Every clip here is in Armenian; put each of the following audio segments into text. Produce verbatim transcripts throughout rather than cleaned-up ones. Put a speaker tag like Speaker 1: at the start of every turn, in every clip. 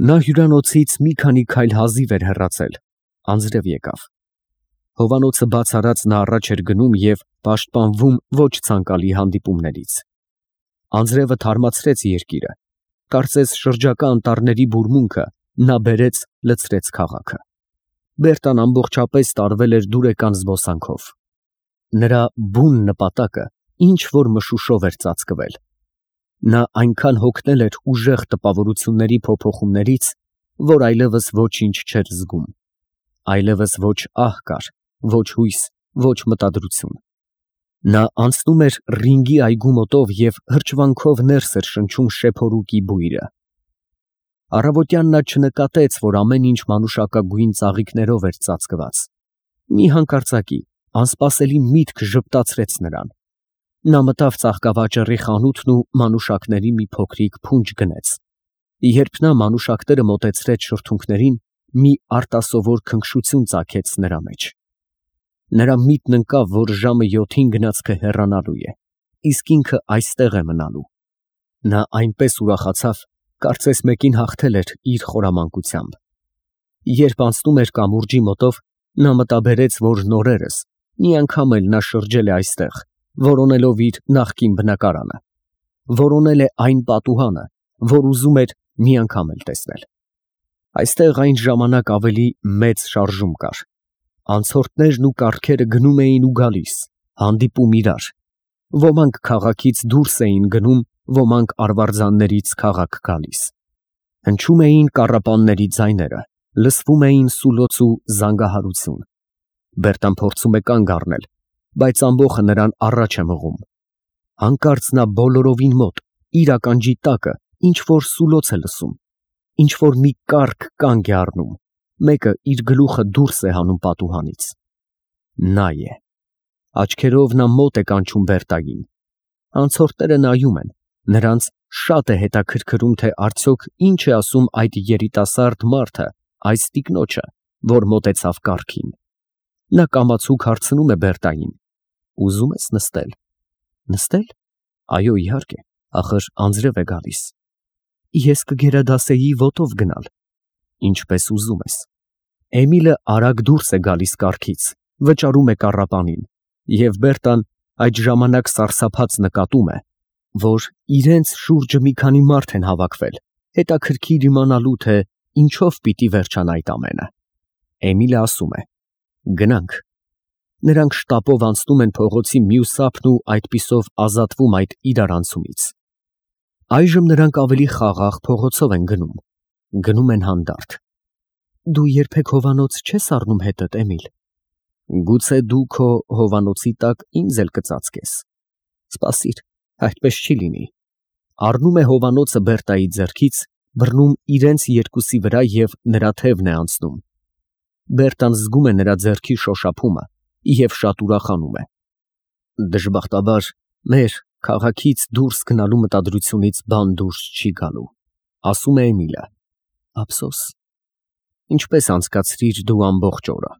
Speaker 1: Նա հյուրանոցից մի քանի քայլ հազիվ էր հեռացել, անձրև եկավ։ Հովանոցը բաց արած նա առաջ էր գնում և պաշտպանվում ոչ ցանկալի հանդիպումներից։ Անձրևը թարմացրեց երկիրը, կարծես շրջակա անտառների բուրմունքը նա բերեց լցրեց քաղաքը։ Բերտան ամբողջապես տարվել էր դուրեկան զբոսանքով։ Նրա բուն նպատակը ինչ որ մշուշով էր ծածկվել։ Նա այնքան հոգնել էր ուժեղ տպավորությունների փոփոխումներից, որ այլևս ոչինչ չէր զգում։ Այլևս ոչ ահ կար, ոչ հույս, ոչ մտադրություն։ Նա անցնում էր ռինգի այգու մոտով և հրճվանքով ներս էր շնչում շեփորուկի բույրը։ Առավոտյան նա չնկատեց, որ ամեն ինչ մանուշակագույն ծաղիկներով էր ծածկված։ Մի հանկարծակի անսպասելի միտք ժպտացրեց նրան։ Նա մտավ ծաղկավաճառի խանութն ու մանուշակների մի փոքրիկ փունջ գնեց։ Երբ նա մանուշակները մոտեցրեց շրթունքներին, մի արտասովոր քնքշություն ծագեց նրա մեջ։ Նրա միտքն ընկավ, որ ժամը յոթին գնացքը հեռանալու է, իսկ ինքը այստեղ է մնալու։ Նա այնպես ուրախացավ, կարծես մեկին հաղթել էր իր խորամանկությամբ։ Երբ անցնում էր կամուրջի մոտով, նա մտաբերեց, որ նորերս մի անգամ էլ նա շրջել է այստեղ, որոնելով իր նախկին բնակարանը, որոնել է այն պատուհանը, որ ուզում էր մի անգամ էլ տեսնել։ Այստեղ այն ժամանակ ավելի մեծ շարժում կար։ Անցորդներն ու կառքերը գնում էին ու գալիս, հանդիպում իրար։ Ոմանք քաղաքից դուրս էին գնում, ոմանք արվարձաններից քաղաք գալիս։ Հնչում էին կառապանների ձայները, լսվում էին սուլոց ու զանգահարություն։ Բերտան փորձում է կանգ առնել, բայց ամբոխը նրան առաջ է մղում։ Հանկարծ նա բոլորովին մոտ, իր ականջի տակը, ինչ որ սուլոց է լսում, ինչ որ մի կառք կանգ է առնում, մեկը իր գլուխը դուրս է հանում պատուհանից։ Նա է։ Աչքերով նա մոտ է կանչում Բերտային։ Անցորդները նայում են, նրանց շատ է հետաքրքրում, թե արդյոք ինչ է ասում այդ երիտասարդ մարդը այս տիկնոջը, որ մոտեցավ կառքին։ Նա կամացուկ հարցնում է Բերտային. Ուզում ես նստել։ Նստել։ Այո, իհարկե, ախր անձրև է գալիս։ Ես կգերադասեի ոտով գնալ։ Ինչպես ուզում ես։ Էմիլը արագ դուրս է գալիս կառքից, վճարում է կառապանին, և Բերտան այդ ժամանակ սարսափած նկատում է, որ իրենց շուրջը մի քանի մարդ են հավաքվել, հետաքրքիր իմանալու, թե ինչով պիտի վերջանա այդ ամենը։ Էմիլը ասում է. Գնանք։ Նրանք շտապով անցնում են փողոցի մյուս ափն ու այդպիսով ազատվում այդ իրարանցումից։ Այժմ նրանք ավելի խաղաղ փողոցով են գնում։ Գնում են հանդարտ։ Դու երբեք հովանոց չես առնում հետդ, Էմիլ։ Գուցե դու քո հովանոցի տակ ինձ էլ կծածկես։ Սպասիր, այդպես չի լինի։ Առնում է հովանոցը Բերտայի ձեռքից, բռնում իրենց երկուսի վրա և նրա թևն է անցնում։ Բերտան զգում է նրա ձեռքի շոշափումը և շատ ուրախանում է։ Դժբախտաբար, մեր քաղաքից դուրս գնալու մտադրությունից բան դուրս չի գալու, ասում է Էմիլը։ Ափսոս։ Ինչպես անցկացրիր դու ամբողջ օրը։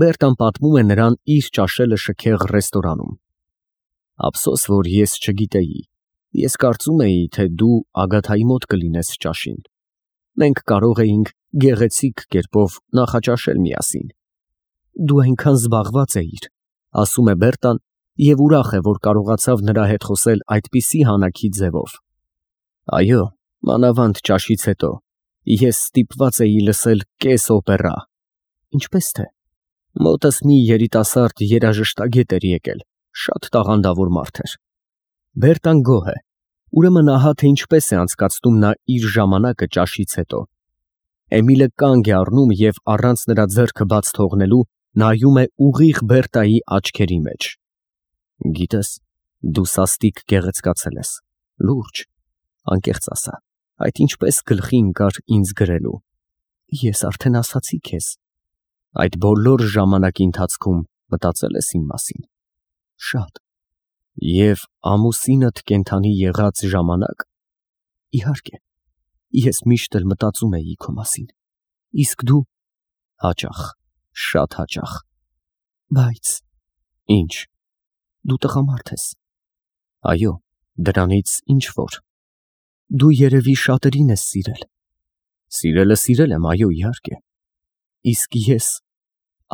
Speaker 1: Բերտան պատմում է նրան իր ճաշելը շքեղ ռեստորանում։ Ափսոս, որ ես չգիտեի։ Ես կարծում էի, թե դու Ագաթայի մոտ կլինես ճաշին։ Մենք կարող էինք գեղեցիկ կերպով նախաճաշել միասին։ Դու այնքան զբաղված էիր, ասում է Բերտան և ուրախ է, որ կարողացավ նրա հետ խոսել այդպիսի հանակի ձևով։ Այո, մանավանդ ճաշից հետո ես ստիպված էի լսել կես օպերա։ Ինչպես թե։ Մոտս մի երիտասարդ երաժշտագետ էր եկել, շատ տաղանդավոր մարդ էր։ Բերտան գոհ է։ Ուրեմն ահա թե ինչպես է անցկացնում նա իր ժամանակը ճաշից հետո։ Էմիլը կանգ է առնում և առանց նրա ձեռքը բաց թողնելու նայում է ուղիղ Բերտայի աչքերի մեջ։ Գիտես, դու սաստիկ գեղեցկացել ես, լուրջ, անկեղծ ասա, այդ ինչպես գլխի ընկար ինձ գրելու։ Ես արդեն ասացի քեզ։ Այդ բոլոր ժամանակի ընթացքում մտածել ես իմ մասին։ Շատ։ Եվ ամուսինդ կենդանի եղած ժամանակ։ Իհարկե, ես միշտ էլ մտածում էի քո մասին։ Իսկ դու հաճախ, շատ հաճախ։ Բայց ինչ, դու տղամարդ ես։ Այո, դրանից ինչ որ։ Դու երևի շատերին ես սիրել։ Սիրելը սիրել եմ, այո, իհարկե։ Իսկ ես,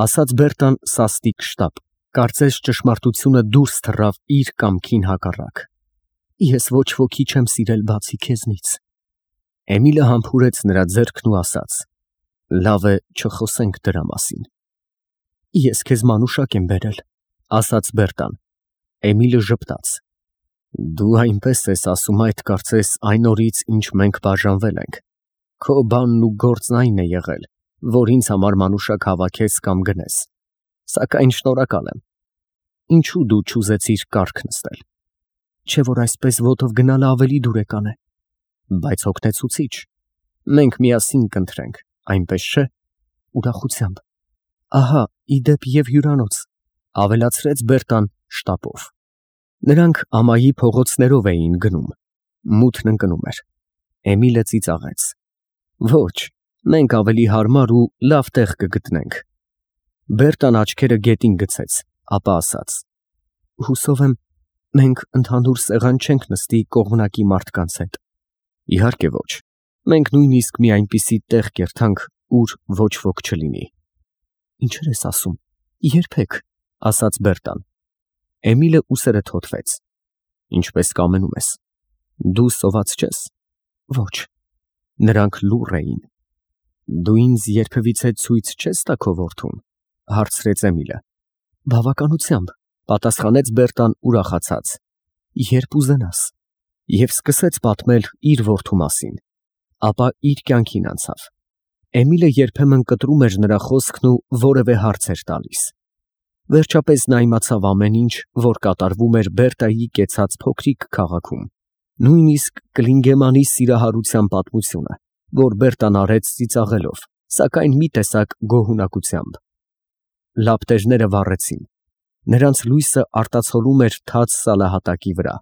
Speaker 1: ասաց Բերտան սաստիկ շտապ, կարծես ճշմարտությունը դուրս թռավ իր կամքին հակառակ։ Ես ոչ ոքի չեմ սիրել բացի քեզնից։ Էմիլը համբուրեց նրա ձեռքն ու ասաց. Լավ է, չխոսենք դրա մասին։ Ես քեզ մանուշակ եմ բերել, ասաց Բերտան։ Էմիլը ժպտաց։ Դու այնպես ես ասում այդ կարծես այն օրից, ինչ մենք բաժանվել ենք։ Քո բանն ու գործն այն է եղել, որ ինձ համար մանուշակ հավաքես կամ գնես։ Սակայն շնորհակալ եմ։ Ինչու դու չուզեցիր կառք նստել։ Չէ՞ որ այսպես ոտով գնալը ավելի դուրեկան է։ Բայց օգնեցուցիչ։ Մենք միասին կընտրենք, այնպես չէ՞։ Ուրախությամբ։ Ահա, իդեպ եւ հյուրանոց, ավելացրեց Բերտան շտապով։ Նրանք ամայի փողոցներով էին գնում։ Մութն ընկնում էր։ Էմիլը ծիծաղեց։ Ոչ, մենք ավելի հարմար ու լավ տեղ կգտնենք։ Բերտան աչքերը գետին գցեց, ապա ասաց. Հուսով եմ, մենք ընդհանուր սեղան չենք նստի կողմնակի մարդկանց հետ։ Իհարկե ոչ։ Մենք նույնիսկ մի այնպիսի տեղ կերթանք, ուր ոչ ոք չլինի։ Ինչեր ես ասում։ Երբեք, ասաց Բերտան։ Էմիլը ուսերը թոթվեց։ Ինչպես կամենում ես։ Դու սոված չես։ Ոչ։ Նրանք լուռ էին։ Դու ինձ երբևիցե ցույց չես տա քո որդուն, հարցրեց Էմիլը։ Բավականությամբ, պատասխանեց Բերտան ուրախացած։ Երբ ուզենաս։ Եվ սկսեց պատմել իր որդու մասին։ Ապա իր կյանքին անցավ։ Էմիլը երբեմն կտրում էր նրա խոսքն ու որևէ հարց էր տալիս։ Վերջապես նա իմացավ ամեն ինչ, որ կատարվում էր Բերտայի կեցած փոքրիկ քաղաքում։ Նույնիսկ Կլինգեմանի սիրահարության պատմությունը, որ Բերտան արեց ծիծաղելով, սակայն մի տեսակ գոհունակությամբ։ Լապտերները վառեցին։ Նրանց լույսը արտացոլում էր թաց սալահատակի վրա։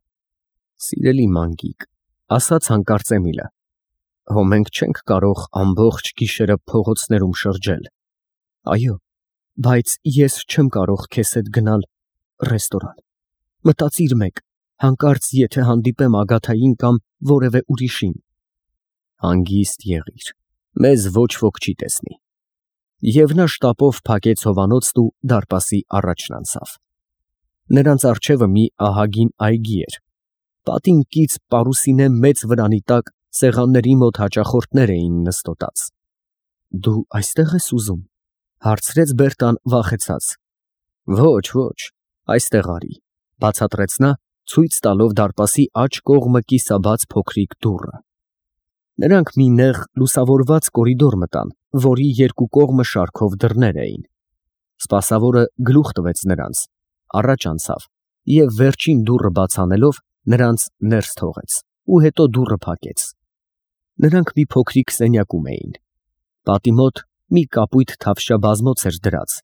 Speaker 1: Սիրելի մանգիկ, ասաց հանկարծ Էմիլը, հո մենք չենք կարող ամբողջ գիշերը փողոցներում շրջել։ Այո, բայց ես չեմ կարող քեզ հետ գնալ ռեստորան։ Մտածիր մեկ, հանկարծ եթե հանդիպեմ Ագաթային կամ որևէ ուրիշին։ Հանգիստ եղիր, մեզ ոչ ոք չի տեսնի։ Եվ նա շտապով փակեց հովանոցն ու դարպասի առաջն անցավ։ Նրանց առջևը մի ահագին այգի էր։ Պատին կից պարուսինե մեծ վրանի տակ սեղանների մոտ հաճախորդներ էին նստոտած։ Դու այստեղ ես ուզում, հարցրեց Բերտան վախեցած։ Ոչ, ոչ, այստեղ արի, բացատրեց նա, ցույց տալով դարպասի աջ կողմը կիսաբաց փոքրիկ դուռը։ Նրանք մի նեղ լուսավորված կորիդոր մտան, որի երկու կողմը շարքով դռներ էին։ Սպասավորը գլուխ տվեց նրանց, առաջ անցավ և վերջին դուռը բաց անելով նրանց ներս թողեց ու հետո դուռը փակեց։ Նրանք մի փոքրիկ սենյակում էին։ Պատի մոտ մի կապույտ թավշյա բազմոց էր դրած,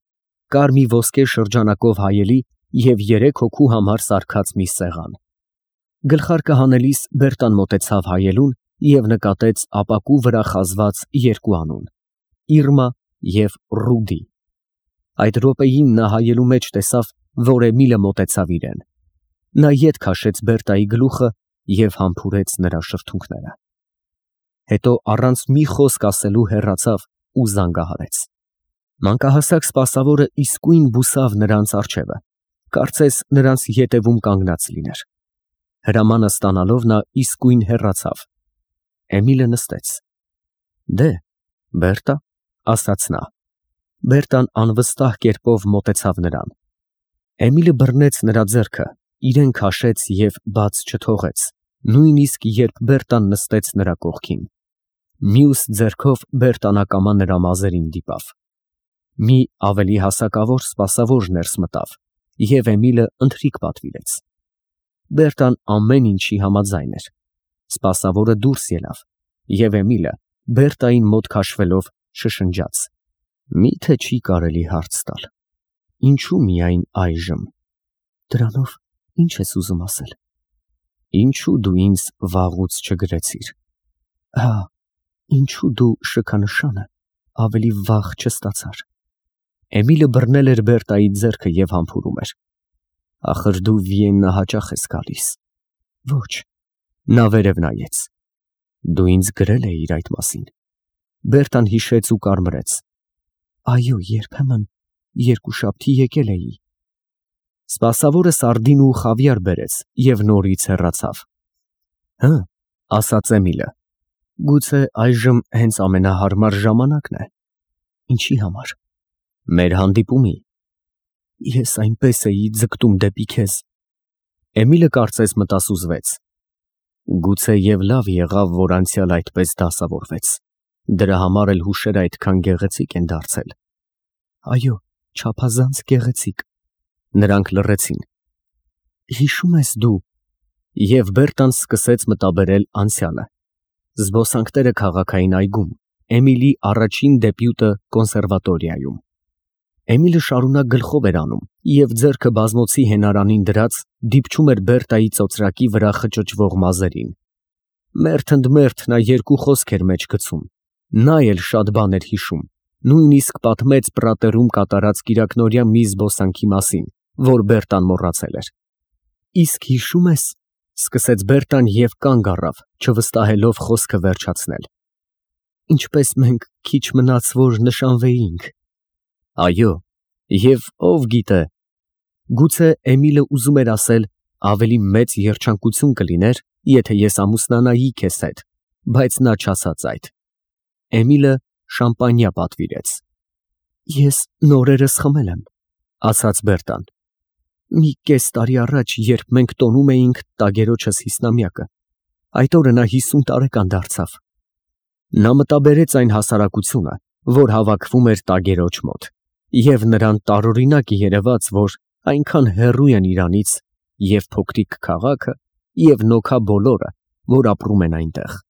Speaker 1: կար մի ոսկե շրջանակով հայելի և երեք հոգու համար սարքած մի սեղան։ Գլխարկը հանելիս Բերտան մոտեցավ հայելուն և նկատեց ապակու վրա խազված երկու անուն՝ Իրմա և Ռուդի։ Այդ րոպեին նա հայելու մեջ տեսավ, որ Էմիլը մոտեցավ իրեն։ Նա ետ քաշեց Բերտայի գլուխը և համբուրեց նրա շրթունքները։ Հետո առանց մի խոսք ասելու հեռացավ ու զանգահարեց։ Մանկահասակ սպասավորը իսկույն բուսավ նրանց առջևը, կարծես նրանց ետևում կանգնած լիներ։ Հրամանը ստանալով նա իսկույն հեռացավ։ Էմիլը նստեց։ Դե, Բերտա, ասաց նա։ Բերտան անվստահ կերպով մոտեցավ նրան։ Էմիլը բռնեց նրա ձեռքը, իրեն քաշեց և բաց չթողեց, նույնիսկ երբ Բերտան նստեց նրա կողքին։ Մյուս ձեռքով Բերտան ակամա նրա մազերին դիպավ։ Մի ավելի հասակավոր սպասավոր ներս մտավ, և Էմիլը ընթրիք պատվիրեց։ Բերտան ամեն ինչի համաձայն էր։ Սպասավորը դուրս ելավ, և Էմիլը Բերտային մոտ քաշվելով շշնջաց. Մի՞թե չի կարելի հարց տալ։ Ինչու միայն այժմ։ Դրանով ի՞նչ ես ուզում ասել։ Ինչու դու ինձ վաղուց չգրեցիր։ Հա, ինչու դու շքանշանը ավելի վաղ չստացար։ Էմիլը բռնել էր Բերտայի ձեռքը և համբուրում էր։ Ախր դու Վիեննա հաճախ ես գալիս։ Ոչ։ Նա վերև նայեց։ Դու ինձ գրել էիր այդ մասին։ Բերտան հիշեց ու կարմրեց։ Այո, երբեմն երկուշաբթի եկել էի։ Սպասավորը սարդին ու խավիար բերեց և նորից հեռացավ։ Հը, ասաց Էմիլը, գուցե այժմ հենց ամենահարմար ժամանակն է։ Ինչի համար։ Մեր հանդիպումի։ Ես այնպես էի ձգտում դեպի քեզ։ Էմիլը կարծես մտասուզվեց։ Գուցե և լավ եղավ, որ անցյալ այդպես դասավորվեց։ Դրա համար էլ հուշերը այդքան գեղեցիկ են դարձել։ Այո, չափազանց գեղեցիկ։ Նրանք լռեցին։ Հիշո՞ւմ ես դու։ Եվ Բերտան սկսեց մտաբերել անցյալը։ Զբոսանքները քաղաքային այգում, Էմիլի առաջին դեբյուտը կոնսերվատորիայում։ Էմիլը շարունակ գլխով էր անում և ձեռքը բազմոցի հենարանին դրած դիպչում էր Բերտայի ծոծրակի վրա խճճվող մազերին։ Մերթ ընդ մերթ նա երկու խոսք էր մեջ գցում։ Նա էլ շատ բան էր հիշում, նույնիսկ պատմեց Պրատերում կատարած կիրակնօրյա մի զբոսանքի մասին, որ Բերտան մոռացել էր։ Իսկ հիշո՞ւմ ես, սկսեց Բերտան և կանգ առավ, չվստահելով խոսքը վերջացնել, ինչպես մենք քիչ մնաց, որ նշանվեինք։ Այո, և ով գիտե, գուցե Էմիլը ուզում էր ասել, ավելի մեծ երջանկություն կլիներ, եթե ես ամուսնանայի քեզ հետ, բայց նա չասաց այդ։ Էմիլը շամպանիա պատվիրեց։ Ես նորերս խմել եմ, ասաց Բերտան։ Մի կես տարի առաջ, երբ մենք տոնում էինք տագերոջս հիսնամյակը, այդ օրը նա հիսուն տարեկան դարձավ։ Նա մտաբերեց այն հասարակությունը, որ հավաքվում էր տագերոջ մոտ, և նրան տարօրինակ երևաց, որ այնքան հեռու են իրանից և փոքրիկ քաղաքը, և նոքա բոլորը, որ ապրում են այնտեղ։